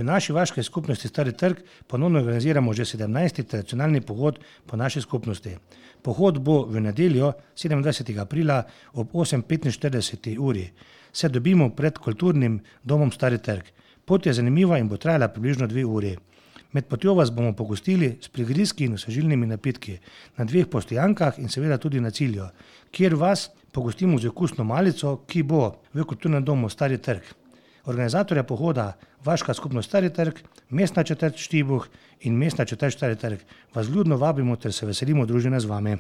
V naši vaški skupnosti Stari trg ponovno organiziramo že 17. tradicionalni pohod po naši skupnosti. Pohod bo v nedeljo 27. aprila ob 8:45 uri. Se dobimo pred kulturnim domom Stari trg. Pot je zanimiva in bo trajala približno 2 uri. Med potjo vas bomo pogostili s prigrizki in osvežilnimi napitki na 2 postojankah in seveda tudi na cilju, kjer vas pogostimo z okusno malico, ki bo v kulturnem domu Stari trg. Organizatorja pohoda Vaška skupnost Stari trg, Mestna četrt Štibuh in Mestna četrt Stari trg vas vljudno vabimo ter se veselimo druženja z vami.